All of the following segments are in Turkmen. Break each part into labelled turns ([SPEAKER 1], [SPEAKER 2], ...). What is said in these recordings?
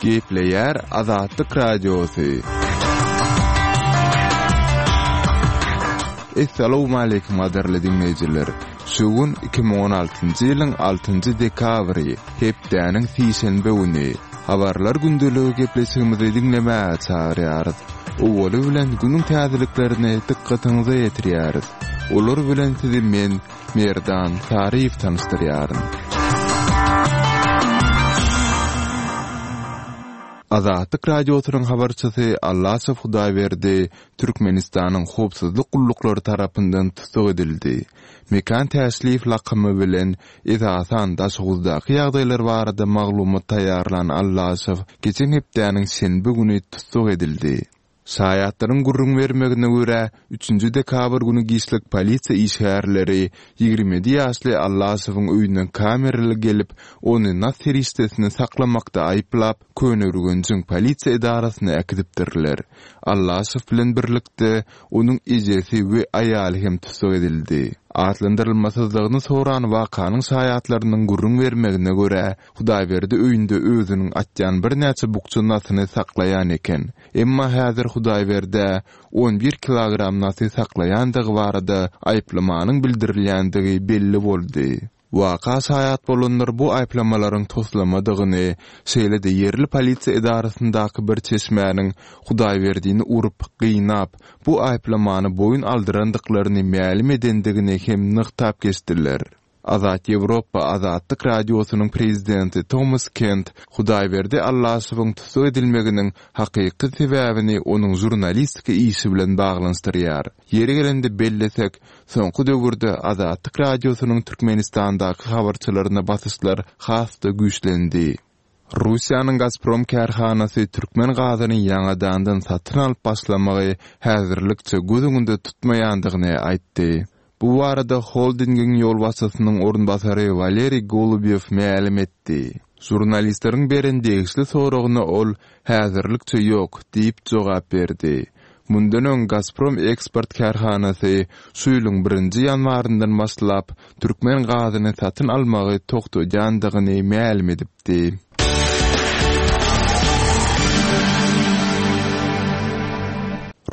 [SPEAKER 1] Gepleýär Azatlyk Radiosy. Essalawmaleýkim gadyrly diňleýjiler! Şu gün 2016-njy ýylyň altynjy dekabry, hepdäniň sişenbe güni. Habarlar gündeligi gepleşigimizi diňlemäge çagyrýarys. Owaly bilen günüň täzeliklerini dykgatyňyza ýetirýäris. Olar bilen sizi men, Merdan Saryýew tanyşdyrýaryn. Azatlyk Radiosynyň habarçysy Allaşow Hudaýberdi Türkmenistanyň howpsuzlyk gulluklary tarapyndan tussag edildi. Mekan Täşliýew lakamy bilen, esasan, Daşoguzdaky ýagdaýlar barada maglumat taýýarlan Allaşow geçen hepdäniň şenbe güni tussag edildi. Şaýatlaryň gürrüň bermegine görä, üçünji dekabr güni giçlik polisiýa işgärleri 27 ýaşly Allaşowyň öýüne kameraly gelip, ony nas serişdesini saklamakda aýyplap, Köneürgenjiň polisiýa edarasyna äkidipdirler. Allaşow bilen birlikde, onuň ejesi we aýaly hem tussag edildi. Atlandyrylmasyzlygyny soran wakanyň şaýatlarynyň gürrüň bermegine görä, Hudaýberdi öýünde özüniň atýan birnäçe bukja nasyny saklaýan eken. Emma häzir Hudaýberdä 11 kilogram nasy saklaýandygy barada aýyplamanyň bildirilýändigi belli boldy. Waka şaýat bolanlar bu aýyplamalaryň toslamadygyny, şeýle-de ýerli polisiýa edarasyndaky bir çeşmäniň Hudaýberdini urup, gynap, bu aýyplamany boýun aldyrandyklaryny mälim edendigini hem nygtap geçdiler. Azat Ýewropa Azatlyk Radiosynyň prezidenti Tomas Kent Hudaýberdi Allaşowyň tussag edilmeginiň hakyky sebäbini onuň žurnalistika işi bilen baglanyşdyrýar. Ýeri gelende bellesek, soňky döwürde Azatlyk Radiosynyň Türkmenistandaky habarçylaryna basyşlar has-da güýçlendi. Russiýanyň Gazprom kärhanasy türkmen gazyny ýaňadandan satyn alyp başlamagy häzirlikçe göz öňünde tutmaýandygyny aýtdy. Bu barada holdingiň ýolbaşçysynyň orunbasary Waleriý Golubýow mälim etdi. Žurnalistleriň beren degişli soragyna ol, Häzirlikçe ýok, diýip jogap berdi. Mundan öň Gazprom eksport kärhanasy şu ýylyň birinji ýanwaryndan başlap türkmen gazyny satyn almagy togtadýandygyny mälim edipdi.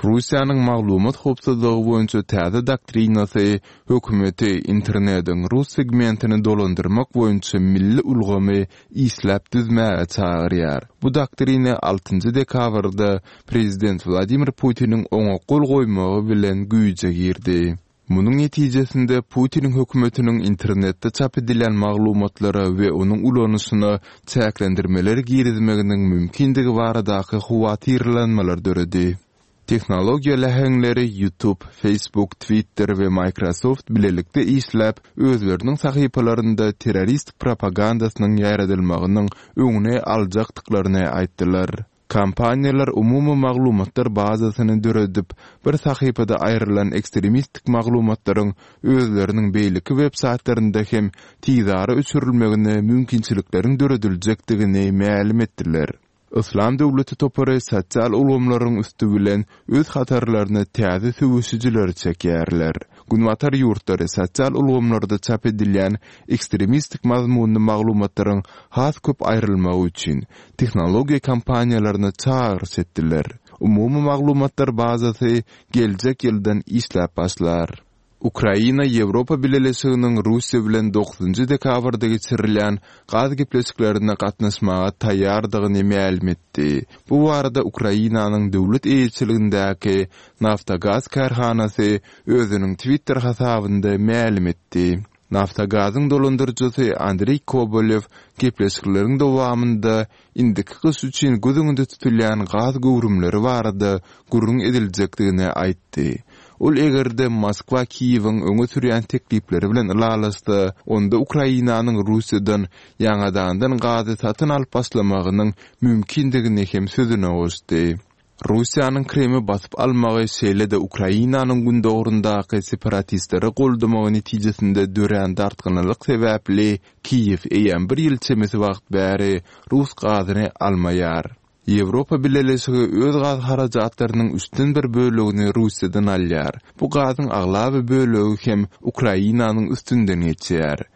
[SPEAKER 1] Russiýanyň maglumat howpsuzlygy boýunça täze doktrinasy hökümeti internetiň rus segmentini dolandyrmak boýunça milli ulgamy işläp düzmäge çagyrýar. Bu doktrina altynjy dekabrda prezident Wladimir Putiniň oňa gol goýmagy bilen güýje girdi. Munuň netijesinde Putiniň hökümetiniň internetde çap edilýän maglumatlara we onuň ulanyşyna çäklendirmeler girizmeginiň mümkindigi baradaky howatyrlanmalar döredi. Tehnologiýa läheňleri YouTube, Facebook, Twitter we Microsoft bilelikde işläp, özleriniň sahypalarynda terrorist propagandasynyň ýaýradylmagynyň öňüni aljakdyklaryny aýtdylar. Kompaniýalar umumy maglumatlar bazasyny döredip, bir sahypada aýrylan ekstremistik maglumatlaryň özleriniň beýleki web-saýtlarynda hem tizara öçürilmegine mümkinçilikleriň dörediljekdigini mälim etdiler. Yslam döwleti topary sosial ulgamlaryň üsti bilen öz hatarlaryna täze söweşijileri çekýärler. Günbatar ýurtlary sosial ulgamlarda çap edilýän ekstremistik mazmunly maglumatlaryň has köp aýrylmagy üçin tehnologiýa kompaniýalaryna çagyryş etdiler. Umumy maglumatlar bazasy geljek ýyldan işläp başlar. Ukraina Ýewropa Bileleşiginiň Russiýa bilen dokuzynjy dekabrda geçirilýän gaz gepleşiklerine gatnaşmaga taýýardygyny mälim etdi. Bu barada Ukrainanyň döwlet eýeçiligindäki Naftogaz kärhanasy özüniň Twitter hasabynda mälim etdi. Naftogazyň dolandyryjysy Andreý Kobolew gepleşikleriň dowamynda indiki gyş üçin göz öňünde tutulýan gaz göwrümleri barada gürrüň ediljekdigini aýtdy. Ol eger-de Moskwa Kiýewiň öňe sürýän teklipleri bilen ylalaşsa, onda Ukrainanyň Russiýadan ýaňadandan gazy satyn alyp başlamagynyň mümkindigini hem sözüne goşdy. Russiýanyň Krymy basyp almagy, şeýle-de Ukrainanyň gündogaryndaky separatistleri goldamagy netijesinde dörän dartgynlylyk sebäpli Kiýew eýýäm bir ýyl çemesi wagt bäri rus gazyny almaýar. Ýewropa Bileleşigi öz gaz harajatlarynyň üçden bir bölegini Russiýadan alýar. Bu gazyň aglaba bölegi hem Ukrainanyň üstünden geçýär.